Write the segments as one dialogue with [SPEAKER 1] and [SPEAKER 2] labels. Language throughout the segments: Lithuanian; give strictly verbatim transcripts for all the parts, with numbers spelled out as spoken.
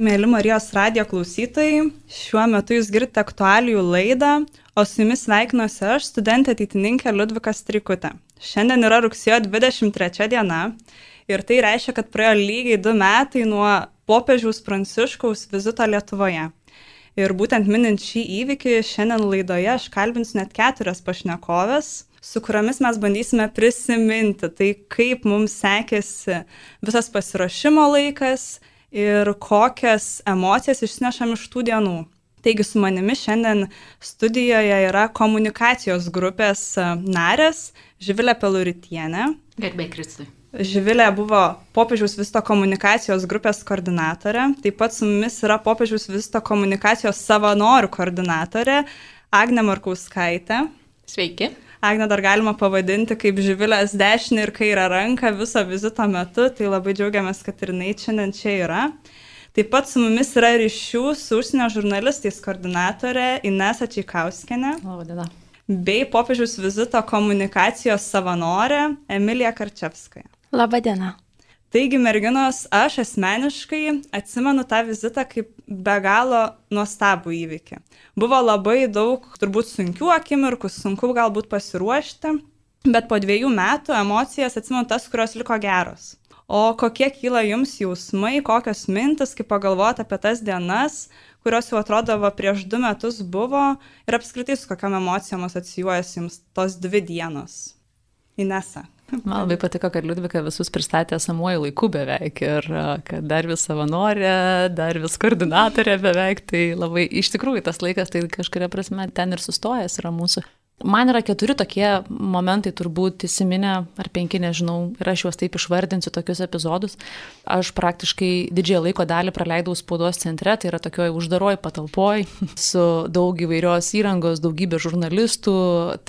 [SPEAKER 1] Mėly Marijos radijo klausytojai, šiuo metu jūs girdite aktualijų laidą, o su jumis sveikinuosi aš, studentė ateitininkė Liudvika Streikutė. Šiandien yra rugsėjo dvidešimt trečia diena ir tai reiškia, kad praėjo lygiai du metai nuo popiežiaus Pranciškaus vizito Lietuvoje. Ir būtent minint šį įvykį, šiandien laidoje aš kalbinsiu net keturias pašnekovės, su kuriomis mes bandysime prisiminti tai, kaip mums sekėsi visas pasiruošimo laikas ir kokias emocijas išsinešam iš tų dienų. Taigi su manimi šiandien studijoje yra komunikacijos grupės narės Živilė Peluritienė.
[SPEAKER 2] Garbė Kristui.
[SPEAKER 1] Živilė buvo popiežiaus vizito komunikacijos grupės koordinatorė. Taip pat su mumis yra popiežiaus vizito komunikacijos savanorių koordinatorė Agnė Markauskaitė.
[SPEAKER 2] Sveiki.
[SPEAKER 1] Agnę dar galima pavadinti kaip Živilės dešinę ir kairę ranką viso vizito metu, tai labai džiaugiamės, kad ir jinai šiandien čia yra. Taip pat su mumis yra ryšių su užsienio žurnalistais koordinatorė Inesa Čeikauskienė.
[SPEAKER 2] Labadiena.
[SPEAKER 1] Bei popiežiaus vizito komunikacijos savanorė Emilija Karčevskaja.
[SPEAKER 3] Labadiena.
[SPEAKER 1] Taigi, merginos, aš asmeniškai atsimenu tą vizitą kaip be galo nuostabų įvykį. Buvo labai daug turbūt sunkių akimirkų, sunku galbūt pasiruošti, bet po dviejų metų emocijas atsimenu tas, kurios liko geros. O kokie kyla jums jausmai, kokios mintis, kaip pagalvoti apie tas dienas, kurios jau atrodavo prieš du metus buvo ir apskritai su kokiam emocijom asocijuojasi jums tos dvi dienos? Inesa.
[SPEAKER 2] Man labai patiko, kad Liudvika visus pristatė esamuoju laiku beveik ir kad dar vis savanorė, dar vis koordinatorė beveik, tai labai iš tikrųjų tas laikas tai kažkuria prasme ten ir sustojęs yra mūsų. Man yra keturi tokie momentai turbūt įsiminę, ar penki, nežinau, ir aš juos taip išvardinsiu tokius epizodus. Aš praktiškai didžiąją laiko dalį praleidau spaudos centre, tai yra tokioj uždaroj patalpoj, su daug įvairios įrangos, daugybė žurnalistų,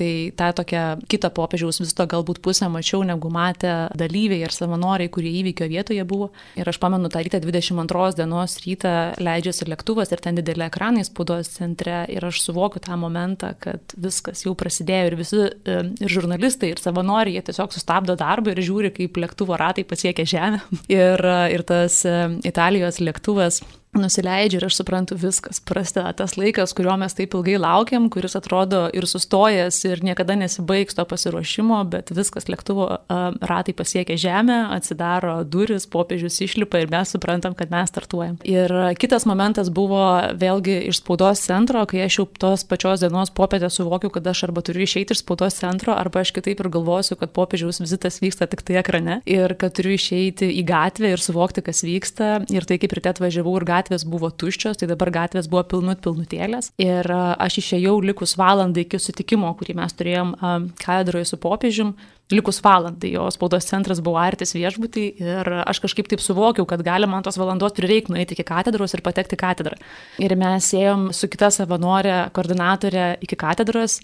[SPEAKER 2] tai tą tokią kitą popiežiaus vizito galbūt pusę mačiau, negu matė dalyviai ir savanoriai, kurie įvykio vietoje buvo. Ir aš pamenu tą rytą dvidešimt antros dienos rytą leidžiasi lėktuvas ir ten didelė ekranai spaudos centre ir aš suvokiu tą momentą, kad viskas jau prasidėjo ir visi ir žurnalistai, ir savanoriai, jie tiesiog sustabdo darbą ir žiūri, kaip lėktuvo ratai pasiekia žemę. Ir, ir tas Italijos lėktuvas nusileidžia ir aš suprantu, viskas prasideda tas laikas, kurio mes taip ilgai laukiam, kuris atrodo ir sustojęs ir niekada nesibaigs to pasiruošimo, bet viskas, lėktuvo ratai pasiekia žemę, atsidaro duris, popiežius išlipa ir mes suprantam, kad mes startuojam. Ir kitas momentas buvo vėlgi iš spaudos centro, kai aš jau tos pačios dienos popietę suvokiu, kad aš arba turiu išeiti iš spaudos centro, arba aš kitaip ir galvosiu, kad popiežiaus vizitas vyksta tik tai ekrane ir kad turiu išeiti į gatvę ir suvokti, kas vyksta. Ir tai kaip ryte atvažiavau ir gatvės buvo tuščios, tai dabar gatvės buvo pilnut pilnutėlės. Ir aš išėjau likus valandai iki sutikimo, kurį mes turėjom katedroje su popiežium, likus valandai, jo spaudos centras buvo artis viešbutį ir aš kažkaip taip suvokiau, kad gali man tos valandos prireikti nueiti iki katedros ir patekti į katedrą. Ir mes ėjom su kita savanorė, koordinatorė iki katedros.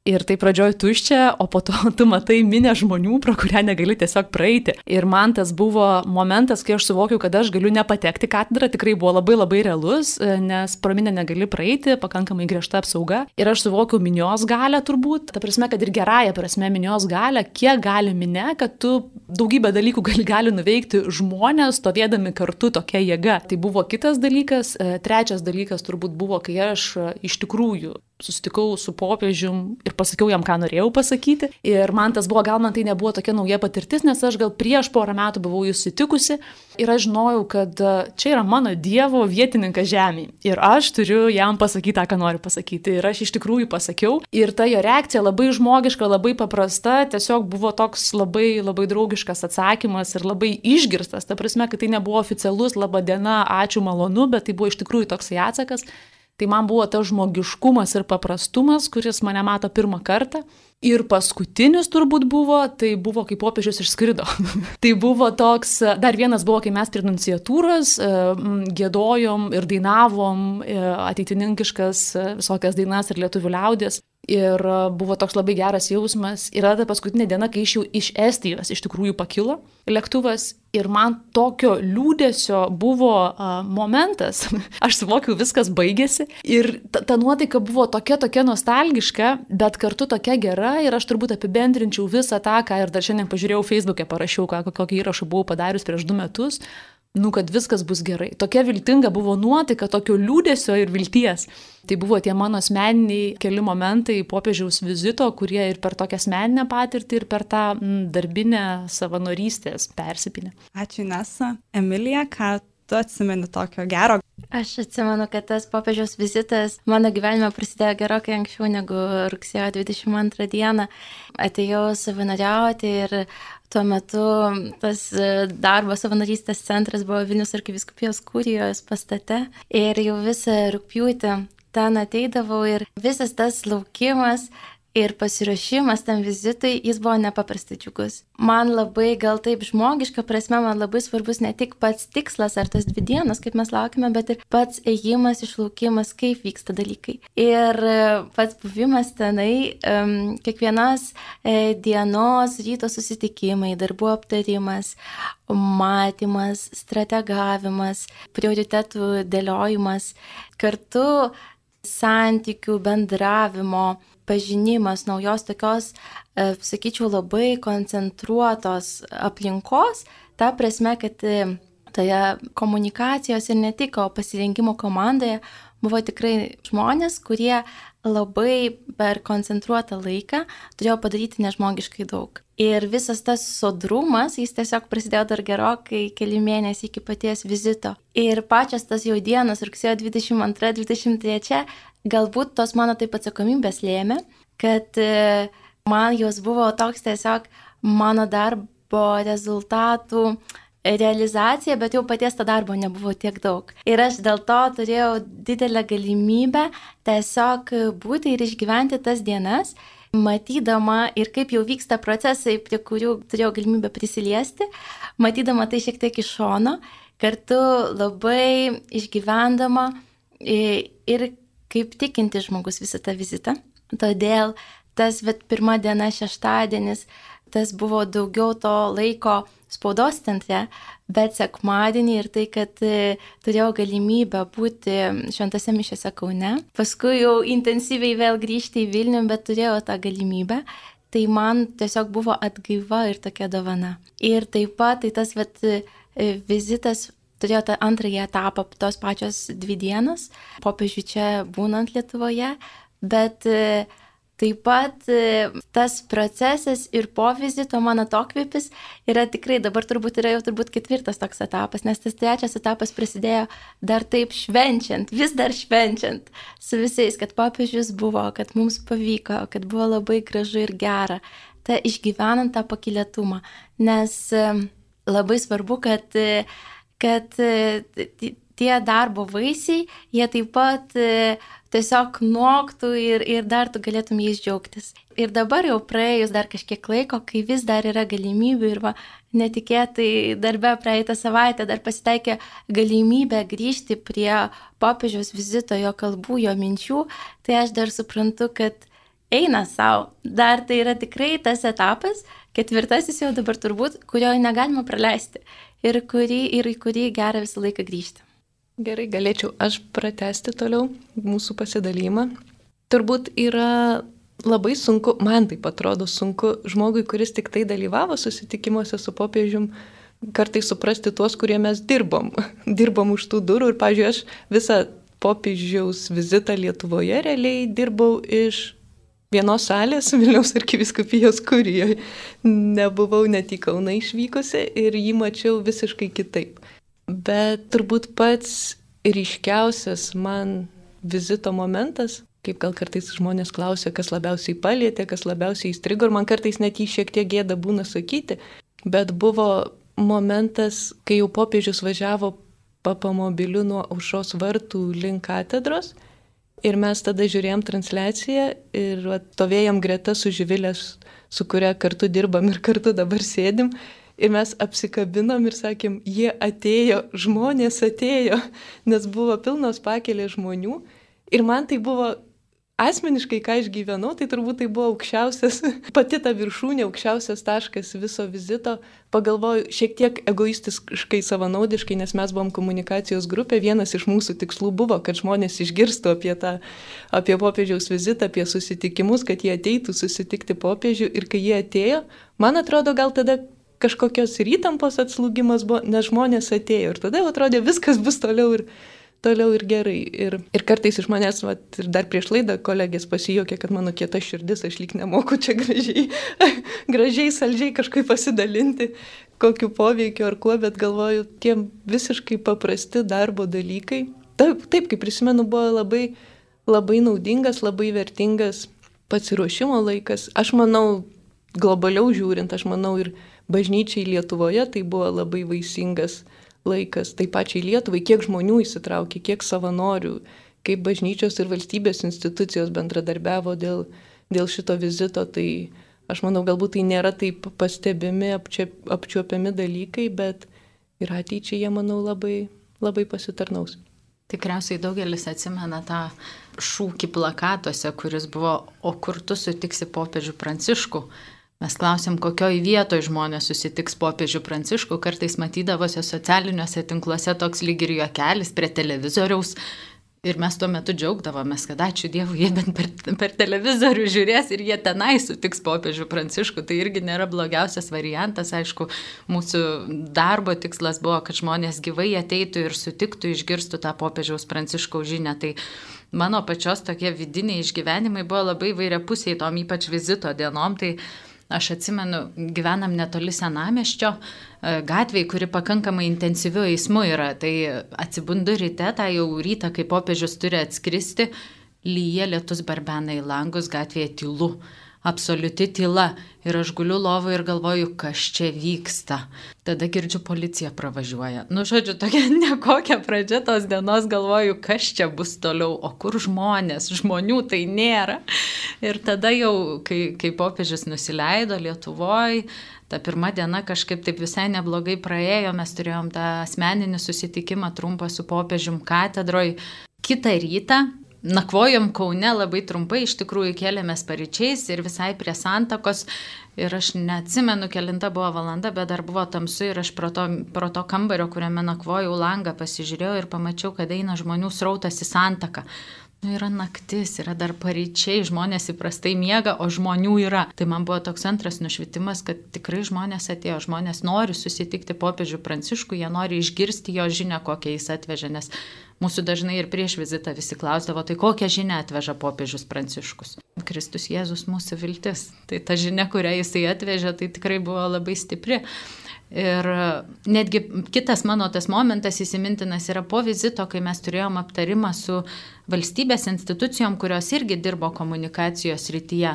[SPEAKER 2] Ir tai pradžioj tuščia, o po to tu matai minę žmonių, pro kurią negali tiesiog praeiti. Ir man tas buvo momentas, kai aš suvokiau, kad aš galiu nepatekti katedrą, tikrai buvo labai labai realus, nes pro minę negali praeiti, pakankamai griežta apsauga. Ir aš suvokiau minios galę turbūt, ta prasme, kad ir gerąją prasme minios galę, kiek gali minė, kad tu daugybę dalykų gali, gali nuveikti žmonės, stovėdami kartu tokia jėga. Tai buvo kitas dalykas. Trečias dalykas turbūt buvo, kai aš iš tikrųjų susitikau su popiežium ir pasakiau jam, ką norėjau pasakyti. Ir man tas buvo, gal man tai nebuvo tokia nauja patirtis, nes aš gal prieš porą metų buvau jį sutikusi ir aš žinojau, kad čia yra mano Dievo vietininkas žemėje. Ir aš turiu jam pasakyti tą, ką noriu pasakyti. Ir aš iš tikrųjų pasakiau. Ir ta jo reakcija labai žmogiška, labai paprasta, tiesiog buvo toks labai, labai draugiškas atsakymas ir labai išgirstas. Ta prasme, kad tai nebuvo oficialus laba diena, ačiū, malonu, bet tai buvo iš tikrųjų toksai atsakas. Tai man buvo tas žmogiškumas ir paprastumas, kuris mane mato pirmą kartą. Ir paskutinis turbūt buvo, tai buvo, kai popiežius išskrido. Tai buvo toks, dar vienas buvo, kai mes prie nunciatūros giedojom ir dainavom ateitininkiškas visokias dainas ir lietuvių liaudies. Ir buvo toks labai geras jausmas. Ir ta paskutinė diena, kai iš jau iš Estijos iš tikrųjų pakilo lėktuvas. Ir man tokio liūdesio buvo uh, momentas. Aš suvokiau, viskas baigėsi. Ir ta, ta nuotaika buvo tokia, tokia nostalgiška, bet kartu tokia gera. Ir aš turbūt apibendrinčiau visą tą, ką ir dar šiandien pažiūrėjau Facebook'e, parašiau, ką, kokį įrašą buvau padarius prieš du metus. nu, kad viskas bus gerai. Tokia viltinga buvo nuotaika, tokio liūdesio ir vilties. Tai buvo tie mano asmeniniai keli momentai popiežiaus vizito, kurie ir per tokią asmeninę patirtį, ir per tą m, darbinę savanorystės persipinę.
[SPEAKER 1] Ačiū, Inesa. Emilija, ką tu atsimeni tokio gero?
[SPEAKER 3] Aš atsimenu, kad tas popiežiaus vizitas mano gyvenime prasidėjo gerokai anksčiau negu rugsėjo dvidešimt antrą dieną. Atėjau savanoriauti ir tuo metu tas darbo savanorystės centras buvo Vilniaus arkivyskupijos kurijos pastate ir jau visą rugpjūtį ten ateidavau ir visas tas laukimas ir pasiruošimas tam vizitui, jis buvo nepaprastai džiugus. Man labai, gal taip žmogiška prasme, man labai svarbus ne tik pats tikslas ar tas dvi dienos, kaip mes laukime, bet ir pats ėjimas, išlaukimas, kaip vyksta dalykai. Ir pats buvimas tenai, um, kiekvienos e, dienos ryto susitikimai, darbų aptarimas, matymas, strategavimas, prioritetų dėliojimas, kartu santykių, bendravimo, pažinimas, naujos tokios, e, sakyčiau, labai koncentruotos aplinkos, ta prasme, kad e, toje komunikacijos ir ne tik, o pasirinkimo komandoje buvo tikrai žmonės, kurie labai per koncentruotą laiką turėjo padaryti nežmogiškai daug. Ir visas tas sodrumas, jis tiesiog prasidėjo dar gerokai keli mėnesiai iki paties vizito. Ir pačios tas jau dienos, rugsėjo dvidešimt antra dvidešimt trečia, galbūt tos mano taip atsakomybės lėmė, kad man jos buvo toks tiesiog mano darbo rezultatų realizacija, bet jau paties to darbo nebuvo tiek daug. Ir aš dėl to turėjau didelę galimybę tiesiog būti ir išgyventi tas dienas, matydama ir kaip jau vyksta procesai, prie kurių turėjau galimybę prisiliesti, matydama tai šiek tiek iš šono, kartu labai išgyvendama ir kaip tikinti žmogus visą tą vizitą. Todėl tas vat, pirma diena, šeštadienis, tas buvo daugiau to laiko spaudos centre, bet sekmadienį ir tai, kad e, turėjau galimybę būti šventose mišiose Kaune. Paskui jau intensyviai vėl grįžti į Vilnių, bet turėjau tą galimybę. Tai man tiesiog buvo atgaiva ir tokia dovana. Ir taip pat tai tas vat, e, vizitas turėjo tą antrąjį etapą, tos pačios dvi dienos, popiežių čia būnant Lietuvoje, bet e, taip pat e, tas procesas ir po vizito mano atokvėpis yra tikrai, dabar turbūt yra jau turbūt ketvirtas toks etapas, nes tas trečias etapas prasidėjo dar taip švenčiant, vis dar švenčiant su visais, kad popiežius buvo, kad mums pavyko, kad buvo labai gražu ir gera, ta išgyvenant tą pakylėtumą, nes e, labai svarbu, kad e, kad tie darbo vaisiai, jie taip pat tiesiog noktų ir, ir dar tu galėtum jais džiaugtis. Ir dabar jau praėjus dar kažkiek laiko, kai vis dar yra galimybių ir va, netikėtai darbe praeitą savaitę dar pasitaikė galimybė grįžti prie popiežiaus vizito, jo kalbų, jo minčių, tai aš dar suprantu, kad eina savo. Dar tai yra tikrai tas etapas, ketvirtasis jau dabar turbūt, kurio negalima praleisti. Ir, kurį, ir į kurį gera visą laiką grįžti.
[SPEAKER 4] Gerai, galėčiau aš pratesti toliau mūsų pasidalymą. Turbūt yra labai sunku, man taip atrodo sunku, žmogui, kuris tik tai dalyvavo susitikimuose su popiežium, kartais suprasti tuos, kurie mes dirbom. Dirbom už tų durų ir, pavyzdžiui, aš visą popiežiaus vizitą Lietuvoje realiai dirbau iš vienos salės Vilniaus arkivyskupijos kurijoje. Nebuvau net į Kauną išvykusi ir jį mačiau visiškai kitaip. Bet turbūt pats ryškiausias man vizito momentas, kaip gal kartais žmonės klausia, kas labiausiai palietė, kas labiausiai įstrigo, ir man kartais net jį šiek tiek gėda būna sakyti, bet buvo momentas, kai jau popiežius važiavo papamobiliu nuo Aušros vartų link katedros. Ir mes tada žiūrėjom transliaciją ir stovėjom greta su Živilė, su kuria kartu dirbam ir kartu dabar sėdim. Ir mes apsikabinom ir sakėm, jie atėjo, žmonės atėjo, nes buvo pilnos pakelės žmonių. Ir man tai buvo asmeniškai, ką aš gyvenau, tai turbūt tai buvo aukščiausias, pati ta viršūnė, aukščiausias taškas viso vizito. Pagalvoju, šiek tiek egoistiškai, savanaudiškai, nes mes buvom komunikacijos grupė, vienas iš mūsų tikslų buvo, kad žmonės išgirstų apie tą, apie popiežiaus vizitą, apie susitikimus, kad jie ateitų susitikti popiežių. Ir kai jie atėjo, man atrodo, gal tada kažkokios ir įtampos atslūgimas buvo, nes žmonės atėjo ir tada atrodė viskas bus toliau ir, toliau ir gerai. Ir, ir kartais iš manęs, vat, ir dar prieš laidą kolegės pasijokė, kad mano kieta širdis, aš lyg nemoku čia gražiai, gražiai, saldžiai kažkaip pasidalinti, kokiu poveikiu ar kuo, bet galvoju, tie visiškai paprasti darbo dalykai. Taip, taip kaip prisimenu, buvo labai, labai naudingas, labai vertingas pasiruošimo laikas. Aš manau, globaliau žiūrint, aš manau ir bažnyčiai Lietuvoje tai buvo labai vaisingas laikas, taip pačiai Lietuvai, kiek žmonių įsitraukė, kiek savanorių, kaip bažnyčios ir valstybės institucijos bendradarbiavo dėl, dėl šito vizito, tai aš manau, galbūt tai nėra taip pastebimi, apčiop, apčiuopiami dalykai, bet ir ateičiai jie, manau, labai, labai pasitarnaus.
[SPEAKER 2] Tikriausiai daugelis atsimena tą šūkį plakatuose, kuris buvo, o kur tu sutiksi popiežių Pranciškų. Mes klausėm, kokioj vietoj žmonės susitiks popiežių Pranciškų, kartais matydavosi socialiniuose tinkluose toks lyg ir juokelis prie televizoriaus. Ir mes tuo metu džiaugdavomės, kad ačiū Dievui, jie bent per, per televizorių žiūrės ir jie tenai sutiks popiežių Pranciškų. Tai irgi nėra blogiausias variantas. Aišku, mūsų darbo tikslas buvo, kad žmonės gyvai ateitų ir sutiktų, išgirstų tą popiežiaus Pranciškaus žinią. Tai mano pačios tokie vidiniai išgyvenimai buvo labai vairiapusiai tom ypač vizito dienom. Tai aš atsimenu, gyvenam netoli Senamiesčio gatvėje, kuri pakankamai intensyviu eismu yra. Tai atsibundu ryte, tą jau rytą, kai popiežius turi atskristi, lyja, lietus barbena į langus, gatvėje tylu. Absoliuti tyla. Ir aš guliu lovoje ir galvoju, kas čia vyksta. Tada girdžiu, policija pravažiuoja. Nu, žodžiu, tokia nekokia pradžia tos dienos, galvoju, kas čia bus toliau, o kur žmonės, žmonių tai nėra. Ir tada jau, kai, kai popiežius nusileido Lietuvoje, ta pirma diena kažkaip taip visai neblogai praėjo, mes turėjom tą asmeninį susitikimą trumpą su popiežium katedroj. Kitą rytą nakvojom Kaune labai trumpai, iš tikrųjų kėlėmės paryčiais ir visai prie Santakos. Ir aš neatsimenu, kelinta buvo valanda, bet dar buvo tamsu ir aš pro to, pro to kambario, kuriame nakvojau, langą pasižiūrėjau ir pamačiau, kad eina žmonių srautas į Santaką. Nu, yra naktis, yra dar paryčiai, žmonės įprastai miega, o žmonių yra. Tai man buvo toks antras nušvitimas, kad tikrai žmonės atėjo, žmonės nori susitikti popiežių Pranciškų, jie nori išgirsti jo žinią, kokią jis atvežė, nes mūsų dažnai ir prieš vizitą visi klausdavo, tai kokią žinią atveža popiežius Pranciškus. Kristus Jėzus mūsų viltis. Tai ta žinia, kurią jisai atvežė, tai tikrai buvo labai stipri. Ir netgi kitas mano tas momentas įsimintinas yra po vizito, kai mes turėjom aptarimą su valstybės institucijom, kurios irgi dirbo komunikacijos srityje.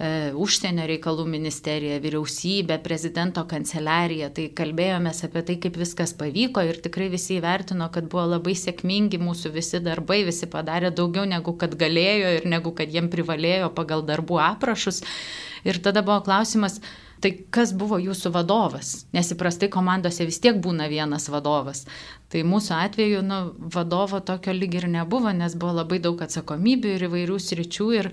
[SPEAKER 2] E, užsienio reikalų ministerija, vyriausybė, prezidento kanceliarija. Tai kalbėjomės apie tai, kaip viskas pavyko ir tikrai visi įvertino, kad buvo labai sėkmingi mūsų visi darbai, visi padarė daugiau negu kad galėjo ir negu kad jiem privalėjo pagal darbų aprašus. Ir tada buvo klausimas, tai kas buvo jūsų vadovas? Nes įprastai komandose vis tiek būna vienas vadovas. Tai mūsų atveju nu, vadovo tokio lyg ir nebuvo, nes buvo labai daug atsakomybių ir įvairių sričių. Ir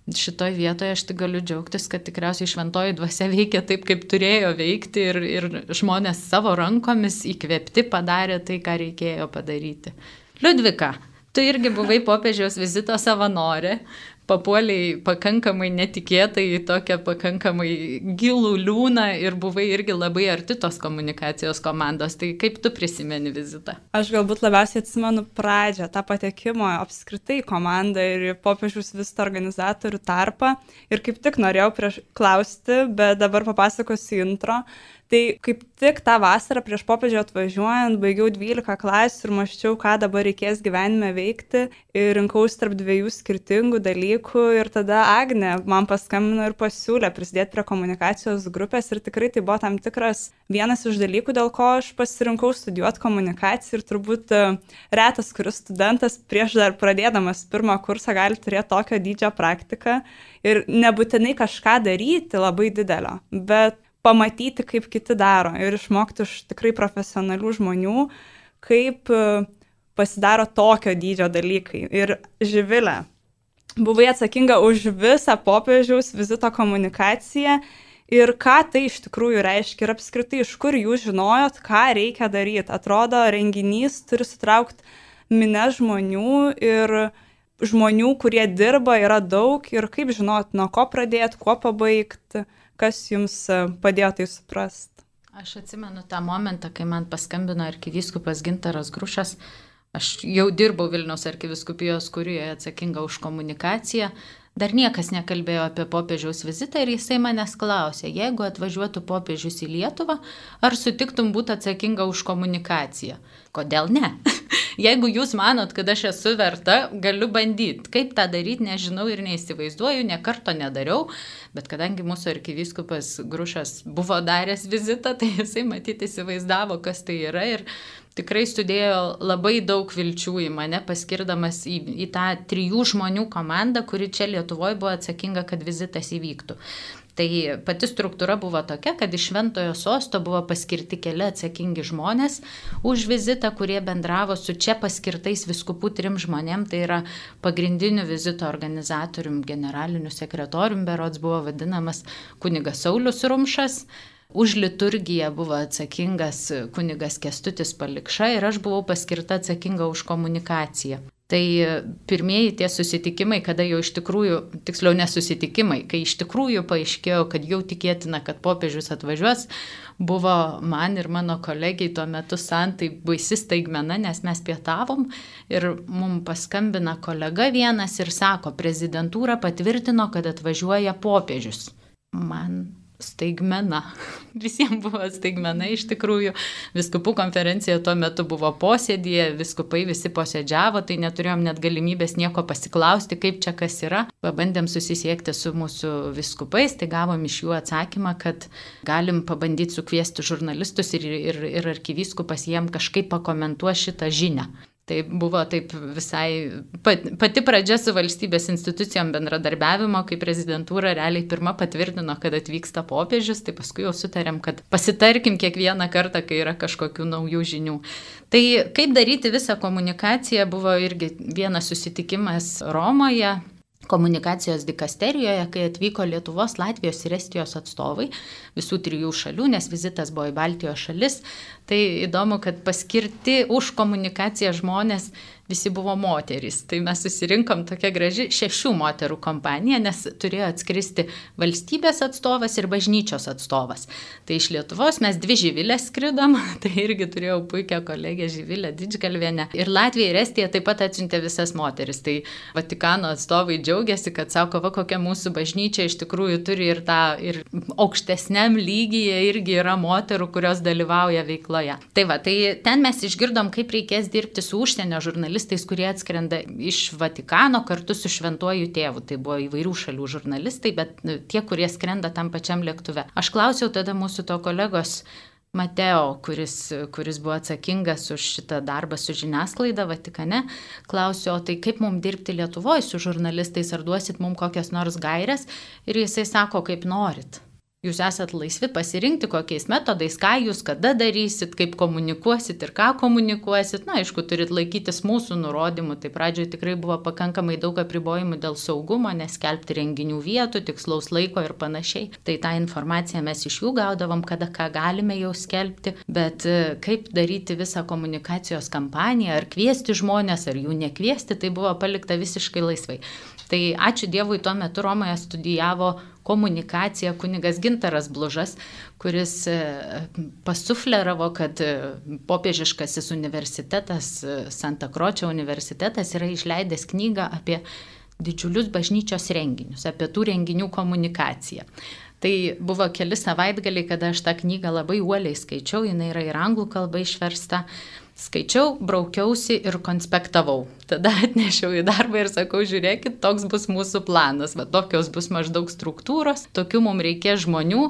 [SPEAKER 2] šitoj vietoje aš tik galiu džiaugtis, kad tikriausiai šventoji dvasia veikia taip, kaip turėjo veikti. Ir, ir žmonės savo rankomis įkvėpti padarė tai, ką reikėjo padaryti. Liudvika, tu irgi buvai popiežiaus vizito savanorė. Papuoliai pakankamai netikėtai į tokią pakankamai gilų liūną ir buvai irgi labai arti tos komunikacijos komandos. Tai kaip tu prisimeni vizitą?
[SPEAKER 1] Aš galbūt labiausiai atsimenu pradžią, tą patekimo apskritai komandą ir popiežiaus vizito organizatorių tarpą. Ir kaip tik norėjau prieš klausti, bet dabar papasakosiu intro. Tai kaip tik tą vasarą prieš popiežių atvažiuojant baigiau dvylika klasių ir mąsčiau, ką dabar reikės gyvenime veikti ir rinkausi tarp dviejų skirtingų dalykų ir tada Agnė man paskambino ir pasiūlė prisidėti prie komunikacijos grupės ir tikrai tai buvo tam tikras vienas iš dalykų, dėl ko aš pasirinkau studijuoti komunikaciją ir turbūt retas, kuris studentas prieš dar pradėdamas pirmą kursą gali turėti tokio dydžio praktiką ir nebūtinai kažką daryti labai didelio, bet pamatyti, kaip kiti daro ir išmokti iš tikrai profesionalių žmonių, kaip pasidaro tokio dydžio dalykai. Ir Živilė, buvai atsakinga už visą popiežiaus vizito komunikaciją ir ką tai iš tikrųjų reiškia ir apskritai iš kur jūs žinojot, ką reikia daryti. Atrodo, renginys turi sutraukti minią žmonių ir žmonių, kurie dirba, yra daug ir kaip žinot, nuo ko pradėti, kuo pabaigti. Kas jums padėjo tai suprasti?
[SPEAKER 2] Aš atsimenu tą momentą, kai man paskambino arkivyskupas Gintaras Grušas. Aš jau dirbau Vilniaus arkivyskupijos kurijoje atsakinga už komunikaciją. Dar niekas nekalbėjo apie popiežiaus vizitą ir jisai manęs klausė, jeigu atvažiuotų popiežius į Lietuvą, ar sutiktum būti atsakinga už komunikaciją? Kodėl ne? Jeigu jūs manot, kad aš esu verta, galiu bandyti. Kaip tą daryti, nežinau ir neįsivaizduoju, ne karto nedariau, bet kadangi mūsų arkivyskupas Grušas buvo daręs vizitą, tai jisai matyti įsivaizdavo, kas tai yra ir tikrai sudėjo labai daug vilčių į mane, paskirdamas į, į tą trijų žmonių komandą, kuri čia Lietuvoje buvo atsakinga, kad vizitas įvyktų. Tai pati struktūra buvo tokia, kad iš Šventojo sosto buvo paskirti keli atsakingi žmonės už vizitą, kurie bendravo su čia paskirtais viskupų trim žmonėm, tai yra pagrindiniu vizito organizatorium, generaliniu sekretorium, berods buvo vadinamas kunigas Saulius Rumšas. Už liturgiją buvo atsakingas kunigas Kęstutis Palikša ir aš buvau paskirta atsakinga už komunikaciją. Tai pirmieji tie susitikimai, kada jau iš tikrųjų, tiksliau nesusitikimai, kai iš tikrųjų paaiškėjo, kad jau tikėtina, kad popiežius atvažiuos, buvo man ir mano kolegiai tuo metu Santai baisi staigmena, nes mes pietavom ir mums paskambina kolega vienas ir sako, prezidentūra patvirtino, kad atvažiuoja popiežius. Man staigmena. Visiems buvo staigmena iš tikrųjų. Viskupų konferencija tuo metu buvo posėdėje, viskupai visi posėdžiavo, tai neturėjom net galimybės nieko pasiklausti, kaip čia kas yra. Pabandėm susisiekti su mūsų viskupais, tai gavom iš jų atsakymą, kad galim pabandyti sukviesti žurnalistus ir, ir, ir arkivyskupas jiem kažkaip pakomentuos šitą žinią. Tai buvo taip visai pati pradžia su valstybės institucijom bendradarbiavimo, kai prezidentūra realiai pirma patvirtino, kad atvyksta popiežius, tai paskui jau sutarėm, kad pasitarkim kiekvieną kartą, kai yra kažkokių naujų žinių. Tai kaip daryti visą komunikaciją buvo irgi vienas susitikimas Romoje, komunikacijos dikasterijoje, kai atvyko Lietuvos, Latvijos ir Estijos atstovai visų trijų šalių, nes vizitas buvo į Baltijos šalis. Tai įdomu, kad paskirti už komunikaciją žmonės visi buvo moterys. Tai mes susirinkom tokia graži šešių moterų kompanija, nes turėjo atskristi valstybės atstovas ir bažnyčios atstovas. Tai iš Lietuvos mes dvi Živilės skridom, tai irgi turėjau puikią kolegę Živilę Didžgalvienę. Ir Latvija ir Estija taip pat atsiuntė visas moteris. Tai Vatikano atstovai džiaugiasi, kad sako, va kokia mūsų bažnyčia iš tikrųjų turi ir tą ir aukštesniam lygyje irgi yra moterų, kurios dalyvauja veikloje. Tai va, tai ten mes išgirdom, kaip reikės dirbti su užsienio žurnalistais, kurie atskrenda iš Vatikano kartu su Šventuoju tėvu. Tai buvo įvairių šalių žurnalistai, bet tie, kurie skrenda tam pačiam lėktuve. Aš klausiau tada mūsų to kolegos Mateo, kuris, kuris buvo atsakingas už šitą darbą su žiniasklaida Vatikane, klausiau, o tai kaip mums dirbti Lietuvoje su žurnalistais, ar duosit mums kokias nors gairias, ir jisai sako, kaip norit. Jūs esat laisvi pasirinkti, kokiais metodais, ką jūs kada darysit, kaip komunikuosit ir ką komunikuosit. Na, aišku, turit laikytis mūsų nurodymų. Tai pradžioje tikrai buvo pakankamai daug apribojimų dėl saugumo, neskelbti renginių vietų, tikslaus laiko ir panašiai. Tai tą informaciją mes iš jų gaudavom, kada ką galime jau skelbti. Bet kaip daryti visą komunikacijos kampaniją, ar kviesti žmonės, ar jų nekviesti, tai buvo palikta visiškai laisvai. Tai ačiū Dievui, tuo metu Romoje studijavo komunikaciją kunigas Gintaras Blužas, kuris pasufleravo, kad popiežiškasis universitetas, Santa Kročio universitetas yra išleidęs knygą apie didžiulius bažnyčios renginius, apie tų renginių komunikaciją. Tai buvo keli savaitgaliai, kada aš tą knygą labai uoliai skaičiau, jinai yra ir anglų kalba išversta. Skaičiau, braukiausi ir konspektavau. Tada atnešiau į darbą ir sakau, žiūrėkit, toks bus mūsų planas, va, tokios bus maždaug struktūros, tokių mums reikės žmonių.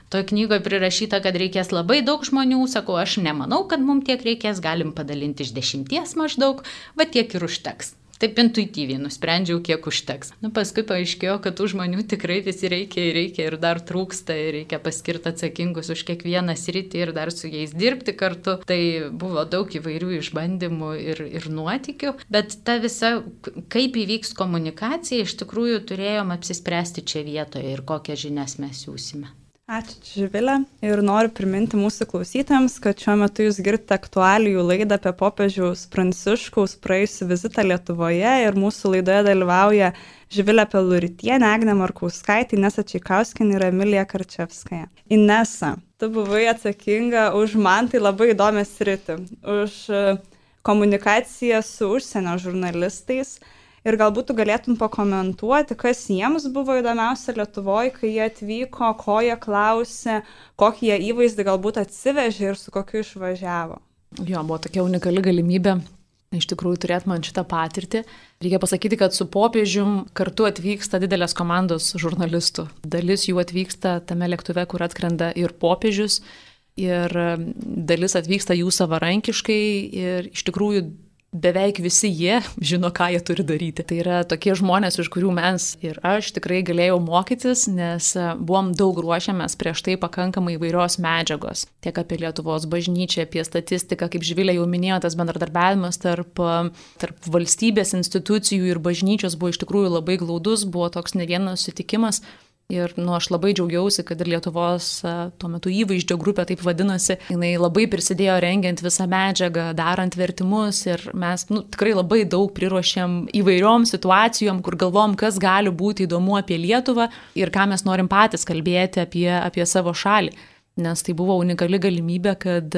[SPEAKER 2] Toje knygoje prirašyta, kad reikės labai daug žmonių, sakau, aš nemanau, kad mums tiek reikės, galim padalinti iš dešimties maždaug, va tiek ir užteks. Taip intuityviai nusprendžiau, kiek užteks. Nu, paskui paaiškėjo, kad tų žmonių tikrai visi reikia ir reikia ir dar trūksta ir reikia paskirti atsakingus už kiekvieną sritį ir dar su jais dirbti kartu. Tai buvo daug įvairių išbandymų ir, ir nuotykių, bet ta visa, kaip įvyks komunikacija, iš tikrųjų turėjom apsispręsti čia vietoje ir kokias žinias mes siūsime.
[SPEAKER 1] Ačiū, Živilė. Ir noriu priminti mūsų klausytėms, kad šiuo metu jūs girdite aktualijų laidą apie popiežiaus Pranciškaus praėjusią vizitą Lietuvoje ir mūsų laidoje dalyvauja Živilė Peluritienė, Agnė Markauskaitė, Inesa Čeikauskinė ir Emilija Karčevskaja. Inesa, tu buvai atsakinga už man tai labai įdomią sritį, už komunikaciją su užsienio žurnalistais. Ir galbūt tu galėtum pakomentuoti, kas jiems buvo įdomiausia Lietuvoje, kai jie atvyko, ko jie klausė, kokį jie įvaizdį galbūt atsivežė ir su kokiu išvažiavo.
[SPEAKER 2] Jo, buvo tokia unikali galimybė iš tikrųjų turėti man šitą patirtį. Reikia pasakyti, kad su popiežium kartu atvyksta didelės komandos žurnalistų. Dalis jų atvyksta tame lėktuve, kur atskrenda ir popiežius, ir dalis atvyksta jų savarankiškai ir iš tikrųjų beveik visi jie žino, ką jie turi daryti. Tai yra tokie žmonės, iš kurių mes ir aš tikrai galėjau mokytis, nes buvom daug ruošiamės prieš tai pakankamai įvairios medžiagos. Tiek apie Lietuvos bažnyčią, apie statistiką, kaip Živilė jau minėjo, tas bendradarbiavimas tarp, tarp valstybės institucijų ir bažnyčios buvo iš tikrųjų labai glaudus, buvo toks ne vienas susitikimas. Ir nu, aš labai džiaugiausi, kad ir Lietuvos tuo metu įvaizdžio grupė taip vadinosi, jinai labai prisidėjo rengiant visą medžiagą, darant vertimus ir mes nu, tikrai labai daug priruošėm įvairiom situacijom, kur galvom, kas gali būti įdomu apie Lietuvą ir ką mes norim patys kalbėti apie, apie savo šalį. Nes tai buvo unikali galimybė, kad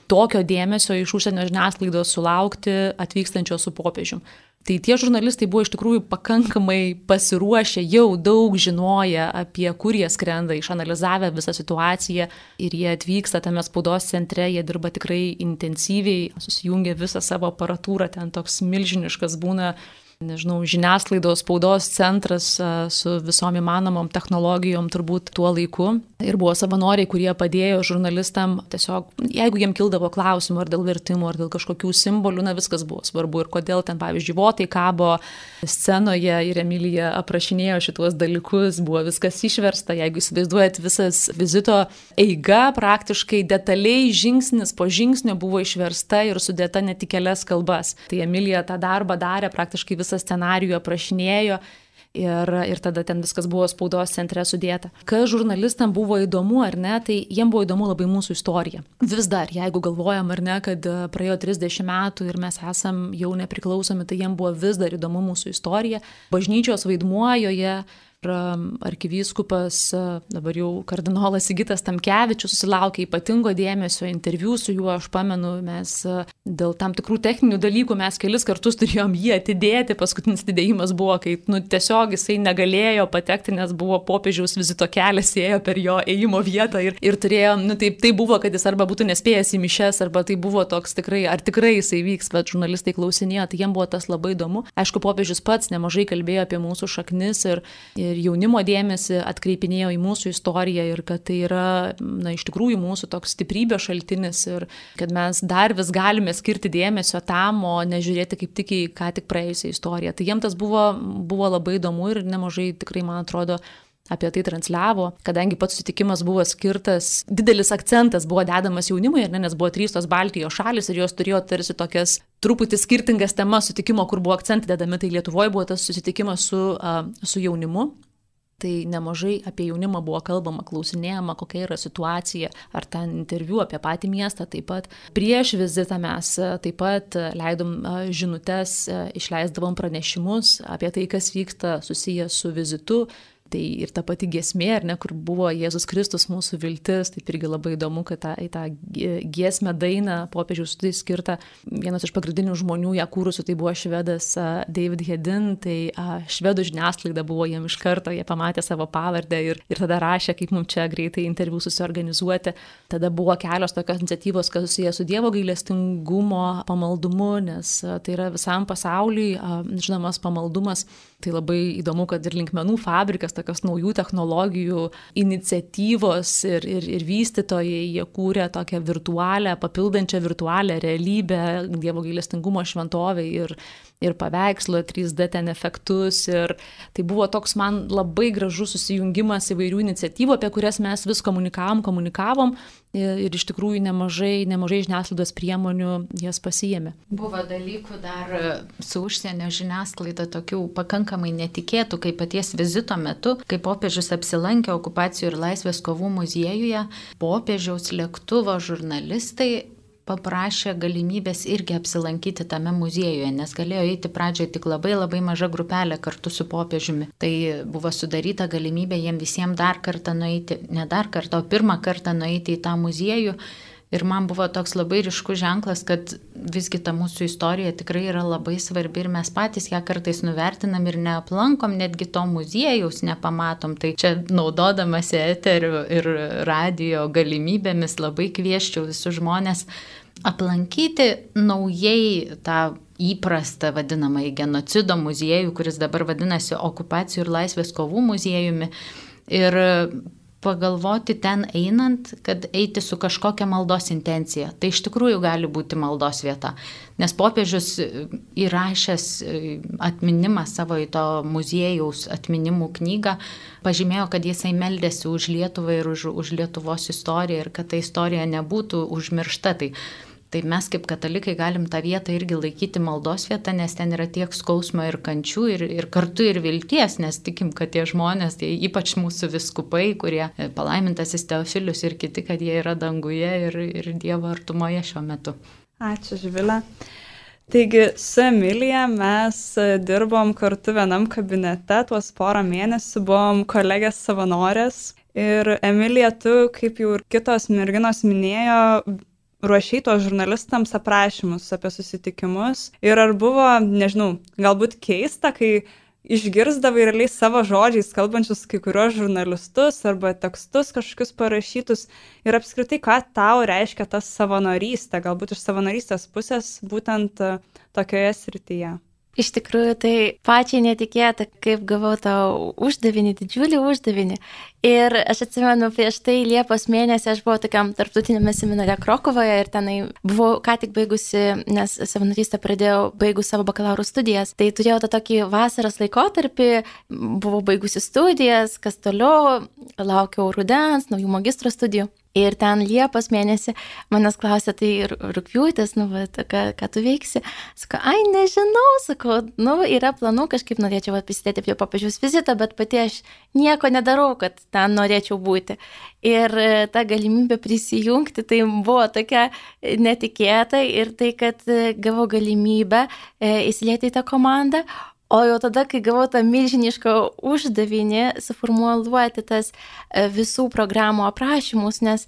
[SPEAKER 2] tokio dėmesio iš užsienio žiniasklaidos sulaukti atvykstančio su popiežium. Tai tie žurnalistai buvo iš tikrųjų pakankamai pasiruošę, jau daug žinoję apie kur jie skrenda, išanalizavę visą situaciją ir jie atvyksta tame spaudos centre, jie dirba tikrai intensyviai, susijungia visą savo aparatūrą, ten toks milžiniškas būna, nežinau, žiniasklaidos spaudos centras su visom įmanomom technologijom turbūt tuo laiku. Ir buvo savanoriai, kurie padėjo žurnalistam tiesiog, jeigu jiem kildavo klausimų ar dėl vertimų, ar dėl kažkokių simbolių, na viskas buvo svarbu. Ir kodėl ten, pavyzdžiui, votai kabo scenoje ir Emilija aprašinėjo šituos dalykus, buvo viskas išversta. Jeigu įsivaizduojat, visas vizito eiga praktiškai detaliai žingsnis po žingsnio buvo išversta ir sudėta net į kelias kalbas. Tai Emilija tą darbą darė, praktiškai visą scenarijų aprašinėjo. Ir, ir tada ten viskas buvo spaudos centre sudėta. Kas žurnalistam buvo įdomu ar ne, tai jiem buvo įdomu labai mūsų istorija. Vis dar, jeigu galvojam ar ne, kad praėjo trisdešimt metų ir mes esam jau nepriklausomi, tai jiem buvo vis dar įdomu mūsų istorija. Bažnyčios vaidmuo joje. Arkivyskupas, dabar jau kardinolas Sigitas Tamkevičius susilaukė ypatingo dėmesio, interviu su juo, aš pamenu, mes dėl tam tikrų techninių dalykų mes kelis kartus turėjom jį atidėti, paskutinis atidėjimas buvo, kai nu, tiesiog jisai negalėjo patekti, nes buvo popiežiaus vizito kelias, ėjo per jo ėjimo vietą ir, ir turėjo, nu tai, tai buvo, kad jis arba būtų nespėjęs į mišes, arba tai buvo toks tikrai, ar tikrai jisai vyks, bet žurnalistai klausinėjo, tai jiem buvo tas labai įdomu. Aišku, popiežius pats nemažai kalbėjo apie mūsų šaknis ir, ir Ir jaunimo dėmesį atkreipinėjo į mūsų istoriją ir kad tai yra, na, iš tikrųjų mūsų toks stiprybės šaltinis ir kad mes dar vis galime skirti dėmesio tam, o nežiūrėti kaip tik į ką tik praėjusią istoriją. Tai jiems tas buvo, buvo labai įdomu ir nemažai tikrai, man atrodo, apie tai transliavo, kadangi pats sutikimas buvo skirtas, didelis akcentas buvo dedamas jaunimui, ne, nes buvo trys tos Baltijos šalis ir jos turėjo tarsi tokias truputį skirtingas temas sutikimo, kur buvo akcentai dedami, tai Lietuvoje buvo tas susitikimas su, uh, su jaunimu. Tai nemažai apie jaunimą buvo kalbama, klausinėjama, kokia yra situacija, ar ten interviu apie patį miestą. Taip pat prieš vizitą mes taip pat leidom žinutes, išleisdavom pranešimus apie tai, kas vyksta susijęs su vizitu. Tai ir ta pati giesmė, ar ne, kur buvo Jėzus Kristus mūsų viltis, tai irgi labai įdomu, kad tą, tą giesmę dainą popiežiaus tai skirta. Vienas iš pagrindinių žmonių ją kūrusių, tai buvo švedas David Hedin, tai švedų žiniasklaida buvo jiem iš karto, jie pamatė savo pavardę ir, ir tada rašė, kaip mums čia greitai interviu susiorganizuoti. Tada buvo kelios tokios iniciatyvos, kas susijęs su Dievo gailestingumo pamaldumu, nes tai yra visam pasauliui žinomas pamaldumas. Tai labai įdomu, kad ir linkmenų fabrikas, tokios naujų technologijų iniciatyvos ir, ir, ir vystytojai, jie kūrė tokią virtualią, papildančią virtualią realybę, Dievo gailestingumo šventovę ir, ir paveikslą, trys D ten efektus. Ir tai buvo toks man labai gražus susijungimas įvairių iniciatyvų, apie kurias mes vis komunikavom, komunikavom. ir iš tikrųjų nemažai, nemažai žiniasklaidos priemonių jas pasiėmė.
[SPEAKER 5] Buvo dalykų dar su užsienio žiniasklaida tokių pakankamai netikėtų, kaip paties vizito metu, kai popiežius apsilankė okupacijų ir laisvės kovų muziejuje, popiežiaus lėktuvo žurnalistai paprašė galimybės irgi apsilankyti tame muziejuje, nes galėjo eiti pradžioje tik labai labai maža grupelė kartu su popiežiumi. Tai buvo sudaryta galimybė jiem visiems dar kartą nueiti, ne dar kartą, o pirmą kartą nueiti į tą muziejų. Ir man buvo toks labai ryškus ženklas, kad visgi ta mūsų istorija tikrai yra labai svarbi ir mes patys ją kartais nuvertinam ir neaplankom, netgi to muziejaus nepamatom. Tai čia naudodamasi eteriu ir radijo galimybėmis labai kvieščiau visus žmonės aplankyti naujai tą įprastą vadinamąjį genocido muziejų, kuris dabar vadinasi okupacijų ir laisvės kovų muziejumi. Ir pagalvoti ten einant, kad eiti su kažkokia maldos intencija. Tai iš tikrųjų gali būti maldos vieta. Nes popiežius įrašęs atminimą savo į to muziejaus atminimų knygą, pažymėjo, kad jisai meldėsi už Lietuvą ir už, už Lietuvos istoriją ir kad ta istorija nebūtų užmiršta. Tai Tai mes kaip katalikai galim tą vietą irgi laikyti maldos vietą, nes ten yra tiek skausmo ir kančių ir, ir kartu ir vilties, nes tikim, kad tie žmonės, tai ypač mūsų viskupai, kurie palaimintasis Teofilius ir kiti, kad jie yra danguje ir, ir Dievo artumoje šiuo metu.
[SPEAKER 1] Ačiū, Živilė. Taigi su Emilija mes dirbom kartu vienam kabinete, tuos porą mėnesių buvom kolegės savanorės ir Emilija, tu, kaip jau ir kitos merginos minėjo, ruošiai tos žurnalistams aprašymus apie susitikimus ir ar buvo, nežinau, galbūt keista, kai išgirsdavai realiai savo žodžiais kalbančius kai kurios žurnalistus arba tekstus kažkokius parašytus ir apskritai, ką tau reiškia ta savanorystė, galbūt iš savanorystės pusės būtent tokioje srityje?
[SPEAKER 3] Iš tikrųjų, tai pačiai netikėta, kaip gavau tą uždavinį, didžiulį uždavinį. Ir aš atsimenu, prieš tai Liepos mėnesį aš buvau tokiam tarptautinėme seminare Krokuvoje ir tenai buvau ką tik baigusi, nes savanorystę pradėjau baigus savo bakalauro studijas. Tai turėjau tą tokį vasaros laikotarpį, buvau baigusi studijas, kas toliau, laukiau rudens, naujų magistro studijų. Ir ten Liepos mėnesį manęs klausė, tai rugpjūtis, nu, va, ką, ką tu veiksi? Sako, ai, nežinau, sakau, nu, yra planų, kažkaip norėčiau prisidėti prie popiežiaus vizito, bet pati aš nieko nedarau, kad ten norėčiau būti. Ir ta galimybė prisijungti, tai buvo tokia netikėta ir tai, kad gavau galimybę įsilieti į tą komandą. O jau tada, kai gavau tą milžinišką uždavinį suformuluoti tas visų programų aprašymus, nes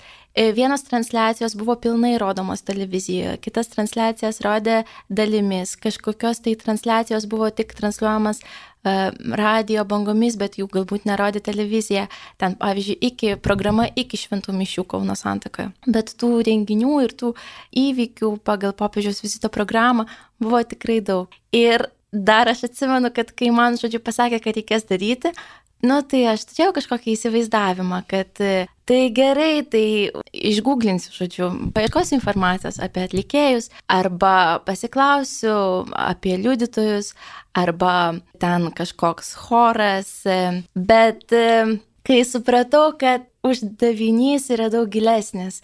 [SPEAKER 3] vienos transliacijos buvo pilnai rodomos televizijoje, kitas transliacijas rodė dalimis, kažkokios tai transliacijos buvo tik transliuojamas radio bangomis, bet jų galbūt nerodė televizija. Ten, pavyzdžiui, iki, programa iki šventų mišių Kauno Santakoje. Bet tų renginių ir tų įvykių pagal popiežiaus vizito programą buvo tikrai daug. Ir dar aš atsimenu, kad kai man, žodžiu, pasakė, kad reikės daryti, nu, tai aš turėjau kažkokį įsivaizdavimą, kad tai gerai, tai išgooglinsiu, žodžiu, paieškosiu informacijos apie atlikėjus, arba pasiklausiu apie liudytojus, arba ten kažkoks choras, bet kai supratau, kad uždavinys yra daug gilesnis,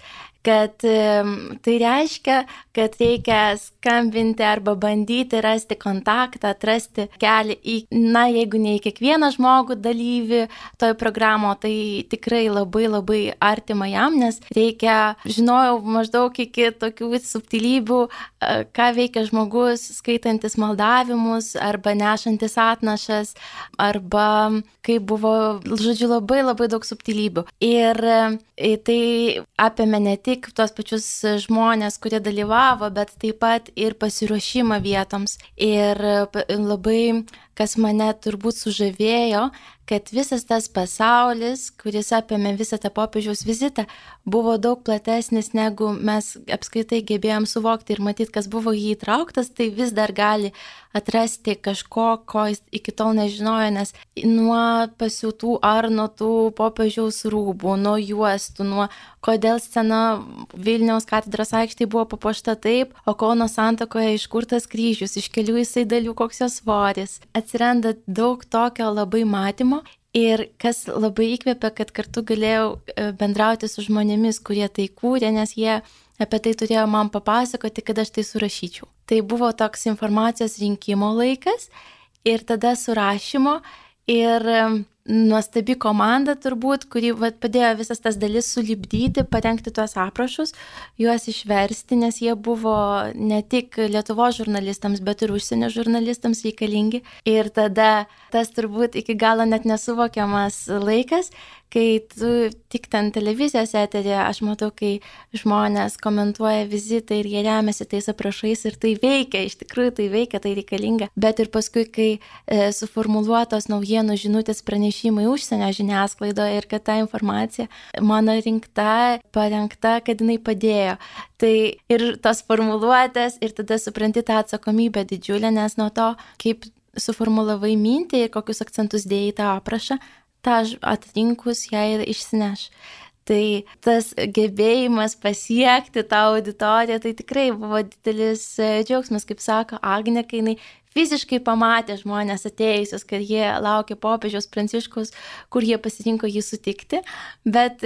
[SPEAKER 3] kad tai reiškia, kad reikia skambinti arba bandyti rasti kontaktą, atrasti kelią į, na, jeigu ne į kiekvieną žmogų dalyvį toj programo, tai tikrai labai labai artima jam, nes reikia, žinojau maždaug iki tokių subtilybių, ką veikia žmogus, skaitantis maldavimus, arba nešantis atnašas, arba kaip buvo, žodžiu, labai labai daug subtilybių. Ir tai apėmė ne tik tuos pačius žmonės, kurie dalyvavo, bet taip pat ir pasiruošimą vietoms. Ir labai, kas mane turbūt sužavėjo, kad visas tas pasaulis, kuris apėmė visą tą popiežiaus vizitą, buvo daug platesnis, negu mes apskaitai gebėjom suvokti ir matyti, kas buvo jį įtrauktas, tai vis dar gali atrasti kažko, ko jis iki tol nežinojo, nes nuo pasiūtų ar nuo tų popiežiaus rūbų, nuo juostų, nuo kodėl scena Vilniaus katedros aikštėje buvo papuošta taip, o Kauno Santakoje iškurtas kryžius, iš kelių jisai dalių koks jos svoris. Atsiranda daug tokio labai matymo Ir kas labai įkvėpė, kad kartu galėjau bendrauti su žmonėmis, kurie tai kūrė, nes jie apie tai turėjo man papasakoti, kad aš tai surašyčiau. Tai buvo toks informacijos rinkimo laikas ir tada surašymo ir nuostabi komanda turbūt, kuri vat, padėjo visas tas dalis sulipdyti, parengti tuos aprašus, juos išversti, nes jie buvo ne tik Lietuvos žurnalistams, bet ir užsienio žurnalistams reikalingi. Ir tada tas turbūt iki galo net nesuvokiamas laikas, kai tu tik ten televizijos eterė, aš matau, kai žmonės komentuoja vizitą ir jie remiasi tais aprašais ir tai veikia, iš tikrųjų tai veikia, tai reikalinga. Bet ir paskui, kai e, suformuluotos naujienų žinutės pranešimai užsienio žiniasklaidoje ir kad ta informacija mano rinkta, parengta, kad jinai padėjo. Tai ir tos formuluotės ir tada supranti tą atsakomybę didžiulę, nes nuo to, kaip suformulavai mintį ir kokius akcentus dėjai tą aprašą, tą atrinkus ją ir išsineš. Tai tas gebėjimas pasiekti tą auditoriją, tai tikrai buvo didelis džiaugsmas, kaip sako Agnė, kai jinai fiziškai pamatė žmonės atėjusius, kad jie laukia popiežiaus Pranciškaus, kur jie pasirinko jį sutikti, bet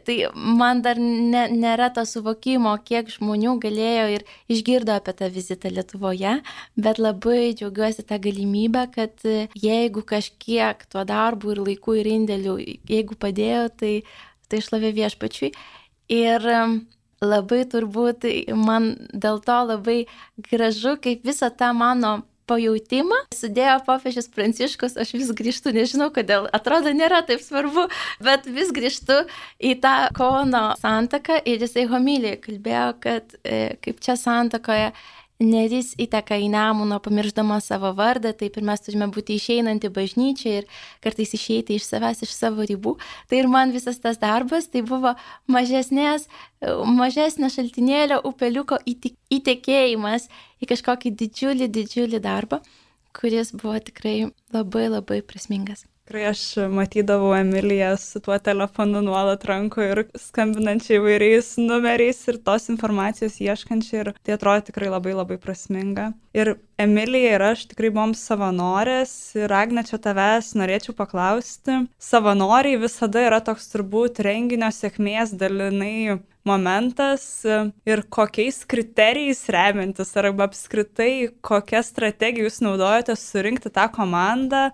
[SPEAKER 3] tai man dar ne, nėra to suvokimo, kiek žmonių galėjo ir išgirdo apie tą vizitą Lietuvoje, bet labai džiaugiuosi tą galimybę, kad jeigu kažkiek tuo darbu ir laiku ir indėliu, jeigu padėjo, tai, tai šlovė viešpačiui. Ir labai turbūt man dėl to labai gražu, kaip visą tą mano pajautimą sudėjo popiežius Pranciškus, aš vis grįžtu, nežinau kodėl, atrodo nėra taip svarbu, bet vis grįžtu į tą Kauno santaką ir jisai homilijai kalbėjo, kad e, kaip čia santakoje Neris įteka į Nemuną, pamiršdama savo vardą, taip ir mes turime būti išeinanti bažnyčia ir kartais išeiti iš savęs, iš savo ribų. Tai ir man visas tas darbas, tai buvo mažesnės, mažesnio šaltinėlio upeliuko įtekėjimas į kažkokį didžiulį, didžiulį darbą, kuris buvo tikrai labai, labai prasmingas.
[SPEAKER 1] Tikrai aš matydavau Emiliją su tuo telefonu nuolat rankoje ir skambinančiai įvairiais numeriais ir tos informacijos ieškančiai ir tai atrodo tikrai labai labai prasminga. Ir Emilija ir aš tikrai buvom savanorės ir Agne, čia tavęs norėčiau paklausti. Savanoriai visada yra toks turbūt renginio sėkmės dalinai momentas ir kokiais kriterijais remiantis arba apskritai kokią strategiją jūs naudojate surinkti tą komandą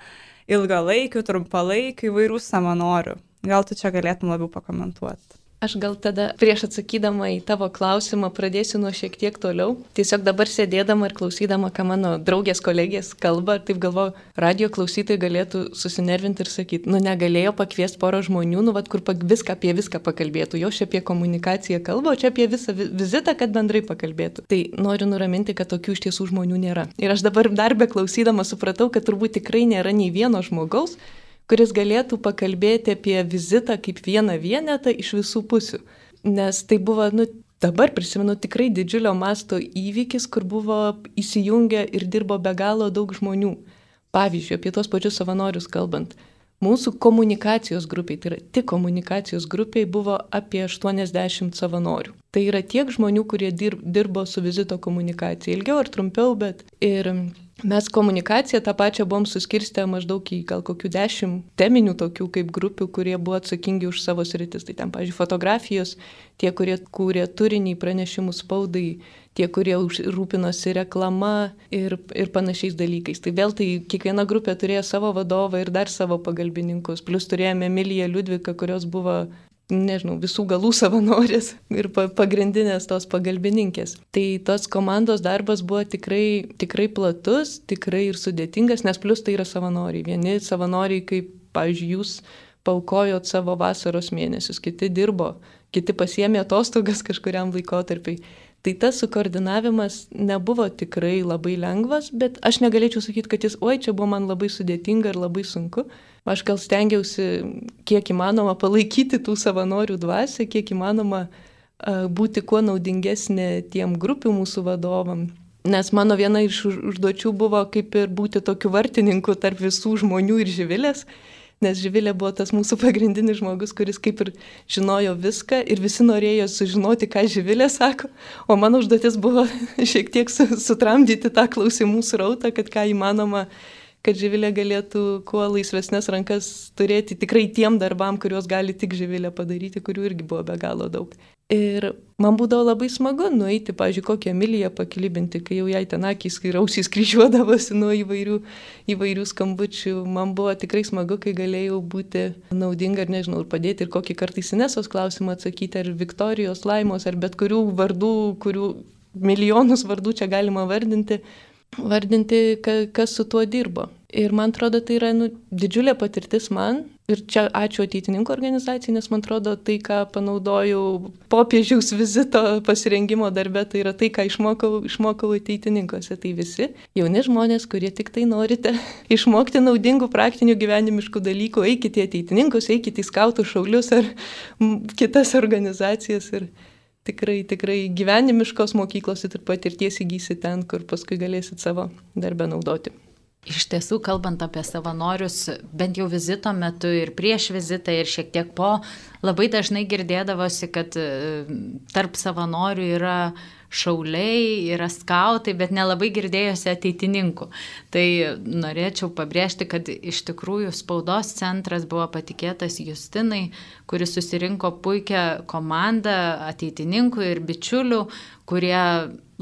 [SPEAKER 1] ilgalaikių, trumpalaikių įvairių savanorių. Gal tu čia galėtum labiau pakomentuoti?
[SPEAKER 4] Aš gal tada prieš atsakydama į tavo klausimą pradėsiu nuo šiek tiek toliau. Tiesiog dabar sėdėdama ir klausydama, ką mano draugės kolegės kalba, taip galvoju, radio klausytojai galėtų susinervinti ir sakyti, nu negalėjo pakviesti porą žmonių, nu vat kur viską apie viską pakalbėtų, jo čia apie komunikaciją kalba, o čia apie visą vizitą, kad bendrai pakalbėtų. Tai noriu nuraminti, kad tokių iš tiesų žmonių nėra. Ir aš dabar dar be klausydama supratau, kad turbūt tikrai nėra nei vieno žmogaus, kuris galėtų pakalbėti apie vizitą kaip vieną vienetą iš visų pusių. Nes tai buvo, nu, dabar prisimenu, tikrai didžiulio masto įvykis, kur buvo įsijungę ir dirbo be galo daug žmonių. Pavyzdžiui, apie tos pačius savanorius kalbant. Mūsų komunikacijos grupiai, tai yra tik komunikacijos grupiai, buvo apie aštuoniasdešimt savanorių. Tai yra tiek žmonių, kurie dirbo su vizito komunikacija, ilgiau ar trumpiau, bet ir mes komunikaciją tą pačią buvom suskirstę maždaug į gal kokių dešimt teminių tokių kaip grupių, kurie buvo atsakingi už savo sritis. Tai ten, pavyzdžiui, fotografijos, tie, kurie kūrė turinį, pranešimus spaudai, tie, kurie rūpinosi reklama ir, ir panašiais dalykais. Tai vėl tai kiekviena grupė turėjo savo vadovą ir dar savo pagalbininkus. Plus turėjome Emiliją Liudviką, kurios buvo, nežinau, visų galų savanorės ir pagrindinės tos pagalbininkės. Tai tos komandos darbas buvo tikrai, tikrai platus, tikrai ir sudėtingas, nes plus tai yra savanoriai. Vieni savanoriai, kaip, pavyzdžiui, jūs paaukojot savo vasaros mėnesius, kiti dirbo, kiti pasiėmė atostogas kažkuriam laikotarpiai. Tai tas sukoordinavimas nebuvo tikrai labai lengvas, bet aš negalėčiau sakyti, kad jis, oi, čia buvo man labai sudėtinga ir labai sunku. Aš gal stengiausi kiek įmanoma palaikyti tų savanorių dvasią, kiek įmanoma uh, būti kuo naudingesnė tiem grupių mūsų vadovam. Nes mano viena iš užduočių buvo kaip ir būti tokiu vartininku tarp visų žmonių ir Živilės, nes Živilė buvo tas mūsų pagrindinis žmogus, kuris kaip ir žinojo viską ir visi norėjo sužinoti, ką Živilė sako, o mano užduotis buvo šiek tiek sutramdyti tą klausimų srautą, kad ką įmanoma kad Živilė galėtų kuo laisvesnės rankas turėti tikrai tiem darbam, kuriuos gali tik Živilė padaryti, kurių irgi buvo be galo daug. Ir man būdavo labai smagu nueiti, pavyzdžiui, kokią Emiliją pakilibinti, kai jau jai ten akys ir ausys kryžiuodavosi nuo įvairių, įvairių skambučių. Man buvo tikrai smagu, kai galėjau būti naudinga ir nežinau, ir padėti ir kokį kartais Inesos klausimą atsakyti, ar Viktorijos, Laimos, ar bet kurių vardų, kurių milijonus vardų čia galima vardinti, vardinti, kas su tuo dirbo. Ir man atrodo, tai yra nu, didžiulė patirtis man. Ir čia ačiū ateitininkų organizacijai, nes man atrodo, tai, ką panaudojau popiežiaus vizito pasirengimo darbe, tai yra tai, ką išmokau, išmokau ateitininkose. Tai visi jauni žmonės, kurie tik tai norite išmokti naudingų praktinių gyvenimiškų dalykų, eikite į ateitininkus, eikite į skautų šaulius ar kitas organizacijas. Ir tikrai, tikrai gyvenimiškos mokyklos ir patirties įgysi ten, kur paskui galėsit savo darbę naudoti.
[SPEAKER 5] Iš tiesų, kalbant apie savanorius, bent jau vizito metu ir prieš vizitą ir šiek tiek po, labai dažnai girdėdavosi, kad tarp savanorių yra šauliai, yra skautai, bet nelabai girdėjosi ateitininkų. Tai norėčiau pabrėžti, kad iš tikrųjų spaudos centras buvo patikėtas Justinai, kuris susirinko puikią komandą ateitininkų ir bičiulių, kurie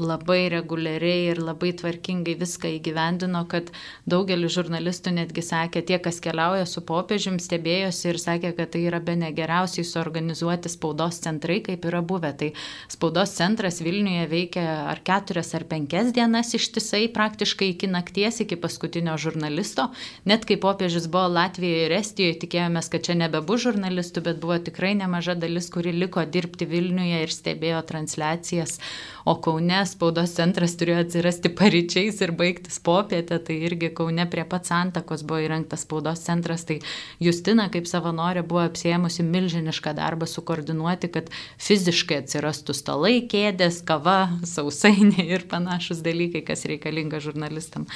[SPEAKER 5] labai reguliariai ir labai tvarkingai viską įgyvendino, kad daugelis žurnalistų netgi sakė, tie, kas keliauja su popiežium, stebėjosi ir sakė, kad tai yra bene geriausiai suorganizuoti spaudos centrai, kaip yra buvę. Tai spaudos centras Vilniuje veikia ar keturias ar penkias dienas ištisai, praktiškai iki nakties, iki paskutinio žurnalisto. Net kai popiežius buvo Latvijoje ir Estijoje, tikėjomės, kad čia nebebus žurnalistų, bet buvo tikrai nemaža dalis, kuri liko dirbti Vilniuje ir stebėjo transliacijas. O Kaune spaudos centras turėjo atsirasti paryčiais ir baigtis popietę, tai irgi Kaune prie pat Santakos buvo įrengtas spaudos centras, tai Justina kaip savanorė buvo apsiėmusi milžinišką darbą sukoordinuoti, kad fiziškai atsirastų stalai, kėdės, kava, sausainiai ir panašus dalykai, kas reikalinga žurnalistam.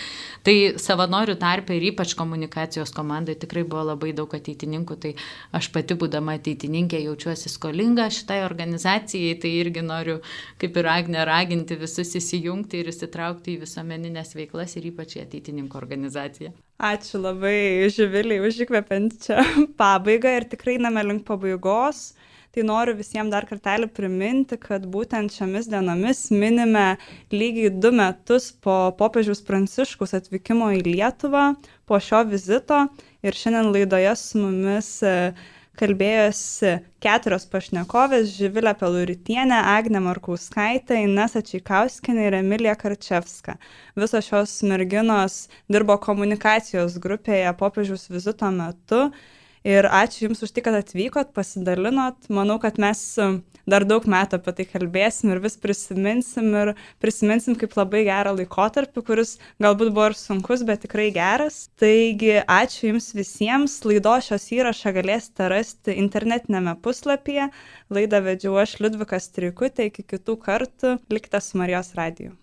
[SPEAKER 5] Tai savanorių tarpe ir ypač komunikacijos komandai tikrai buvo labai daug ateitininkų, tai aš pati būdama ateitininkė jaučiuosi skolinga šitai organizacijai, tai irgi noriu kaip ir Agnė raginti visus įsijungti ir įsitraukti į visuomeninės veiklas ir ypač į ateitininkų organizaciją.
[SPEAKER 1] Ačiū labai Živiliai už įkvepiančią pabaigą ir tikrai einame link pabaigos. Tai noriu visiems dar kartelį priminti, kad būtent šiomis dienomis minime lygiai du metus po popiežiaus Pranciškaus atvykimo į Lietuvą, po šio vizito. Ir šiandien laidoje su mumis kalbėjosi keturios pašnekovės – Živilė Peluritienė, Agnė Markauskaitė, Inesa Čeikauskienė ir Emilija Karčevska. Visos šios merginos dirbo komunikacijos grupėje popiežiaus vizito metu. Ir ačiū Jums už tai, kad atvykot, pasidalinot. Manau, kad mes dar daug metų apie tai kalbėsim ir vis prisiminsim ir prisiminsim kaip labai gerą laikotarpį, kuris galbūt buvo ir sunkus, bet tikrai geras. Taigi, ačiū Jums visiems. Laidos šios įrašą galėsite rasti internetinėme puslapyje. Laidą vedžiau aš Liudvika Streikutė. Iki kitų kartų. Likite su Marijos radiju.